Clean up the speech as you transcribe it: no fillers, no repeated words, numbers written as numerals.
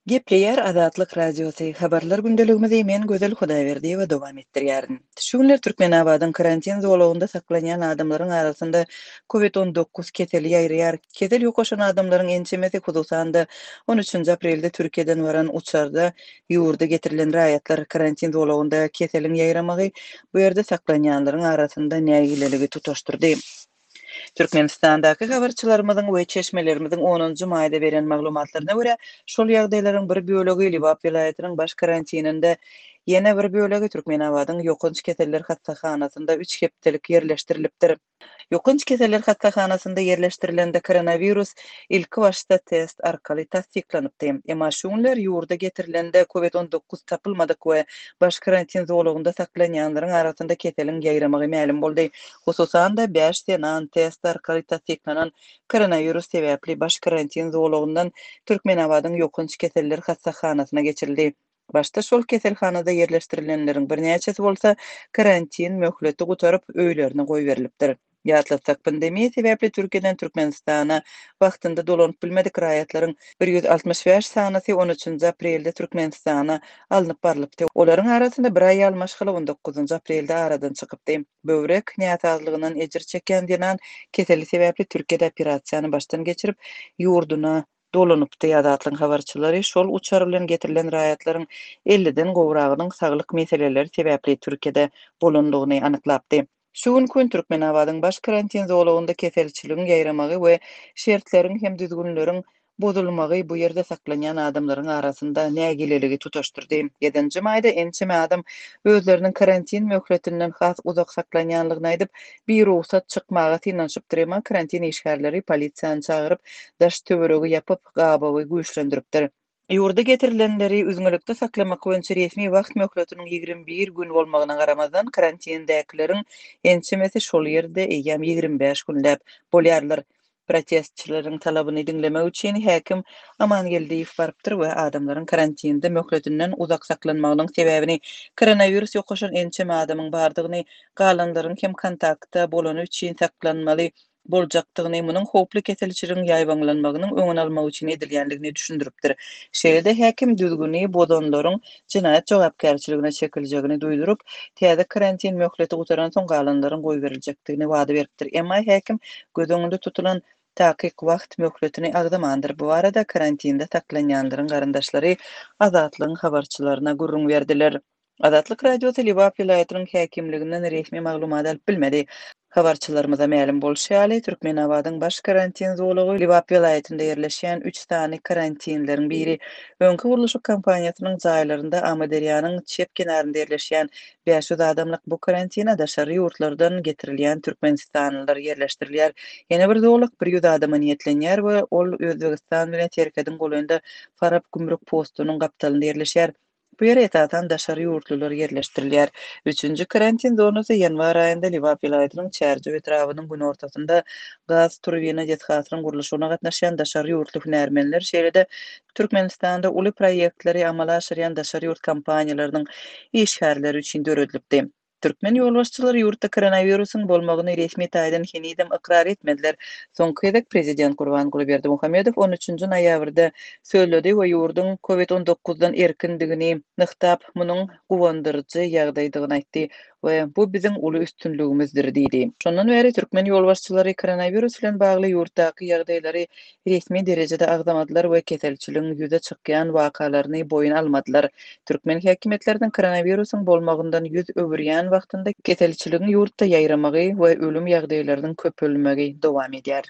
Gepleýär Azatlyk Radiosy, Habarlar gündeligimizi men Gözel Hudaýberdiýewa dowam etdirýärin. Şu günler Türkmenabadyň karantin zolagynda saklanýan adamlaryň arasynda Covid 19 keseli ýaýraýar. Kesel ýokaşan adamlaryň ençemesi, hususan-da, on üçünji aprelde Türkiýeden baran uçarda ýurda getirilen raýatlar. Karantin zolagynda keseliň ýaýramagy bu ýerde saklanýanlaryň arasynda nägileligi tutaşdyrdy. Türkmenistandaky habarçylarymyzyň we çeşmelerimiziň onunjy maýda beren maglumatlaryna görä, şol ýagdaýlaryň bir bölegi Lebap welaýatynyň baş karantininde, ýene bir bölegi Türkmenabadyň ýokanç keseller hassahanasynda üç hepdelik ýerleşdirilipdir. Ýokanç keseller hassahanasynda ýerleşdirilende koronawirus ilkibaşda test arkaly tassyklanypdy. Emma şu günler ýurda getirilende covid 19 tapylmadyk we baş karantin zolagynda saklanýanlaryň arasynda keseliň ýaýramagy mälim boldy. Hususan-da, bäş zenan test arkaly tassyklanan koronawirus sebäpli baş karantin zolagyndan Türkmenabadyň ýokanç keseller hassahanasyna geçirildi. Başda şol keselhanada ýerleşdirilenleriň birnäçesi bolsa karantin möhleti gutaryp, öýlerine goýberilipdir. Ýatlatsak, pandemiýa sebäpli Türkiýeden Türkmenistana wagtynda dolanyp bilmedik raýatlaryň 165 sanysy on üçünji aprelde Türkmenistana alnyp barlypdy. Olaryň arasynda bir aýal maşgala on dokuzynjy aprelde aradan çykypdy. Böwrek näsazlygyndan ejir çekýän zenan keseli sebäpli Türkiýede operasiýany başdan geçirip, ýurduna dolanypdy. Azatlygyň habarçylary şol uçar bilen getirilen raýatlaryň elliden gowragynyň saglyk meseleleri sebäpli Türkiýede bolandygyny anyklapdy. Şu günki gün Türkmenabadyň baş karantin zolagynda keselçiligiň ýaýramagy we şertleriň hem düzgünleriň bozulmagy bu ýerde saklanýan adamlaryň arasynda nägileligi tutaşdyrdy. Ýedinji maýda ençeme adam özleriniň karantin möhletinden has uzak saklanýanlygyny aýdyp, birugsat çykmaga synanyşypdyr, emma karantin işgärleri polisiýany çagyryp, daş-töweregi ýapyp, gabawy güýçlendiripdir. Ýurda getirilenleri üzňelikde saklamak boýunça resmi wagt möhletiniň 21 gün bolmagyna garamazdan, karantindäkileriň ençemesi şol ýerde eýýäm 25 günläp bolýarlar. Protestçileriň talabyny diňlemek üçin häkim Aman Geldiýew barypdyr we adamlaryň karantinde möhletinden uzak saklanmagynyň sebäbini koronawirus ýokaşan ençeme adamyň bardygyny, galanlaryň hem kontaktda bolany üçin saklanmaly boljakdygyny, munuň howply keselçiligiň ýaýbaňlanmagynyň öňüni almak üçin edilýändigini düşündiripdir. Şeýle-de häkim düzgüni bozanlaryň jenaýat jogapkärçiligine çekiljegini duýduryp, täze karantin möhleti gutaransoň galanlaryň goýberiljekdigini wada beripdir. Emma häkim göz öňünde tutulan takyk wagt möhletini agzamandyr. Bu barada karantinde saklanýanlaryň garyndaşlary Azatlygyň habarçylaryna gürrüň berdiler. Azatlyk Radiosy Lebap welaýatynyň häkimliginden resmi maglumat alyp bilmedi. Habarçylarymyza mälim bolşy ýaly, Türkmenabadyň baş karantin zolagy Lebap welaýatynda ýerleşýän üç sany karantinleriň biri. Öňki gurluşyk kompaniýasynyň jaýlarynda Amyderýanyň çep kenarynda ýerleşýän 500 adamlyk bu karantine daşary ýurtlardan getirilýän türkmenistanlylar ýerleşdirilýär. Ýene bir zolak 100 adama niýetlenýär we ol Özbegistan bilen serhediň golaýynda Farap gümrük postunyň gapdalynda ýerleşýär. Bu ýere esasan daşary ýurtlular ýerleşdirilýär. Üçünji karantin zonasy ýanwar aýynda Lebap welaýatynyň Çärjew etrabynyň günortasynda gaz turbina desgasynyň gurluşygyna gatnaşýan daşary ýurtly hünärmenler, şeýle-de Türkmenistanda uly proýektleri amala aşyrýan daşary ýurt kompaniýalarynyň işgärleri üçin döredilipdi. Türkmen ýolbaşçylary ýurtda koronawirusyň bolmagyny resmi taýdan henizem ykrar etmediler. Soňky gezek prezident Gurbanguly Berdimuhamedow on üçünji noýabrda sözledi we ýurduň covid 19-dan erkindigini nygtap, munuň guwandyryjy ýagdaýdygyny aýtdy we bu biziň uly üstünligimizdir diýdi. Şondan bäri türkmen ýolbaşçylary koronawirus bilen bagly ýurtdaky ýagdaýlary resmi derejede agzamadylar we keselçiligiň ýüze çykýan wakalaryny boýun almadylar. Türkmen häkimiýetleriniň koronawirusyň bolmagyndan ýüz öwürýän wagtynda keselçiligiň ýurtda ýaýramagy we ölüm ýagdaýlarynyň köpelmegi dowam edýär.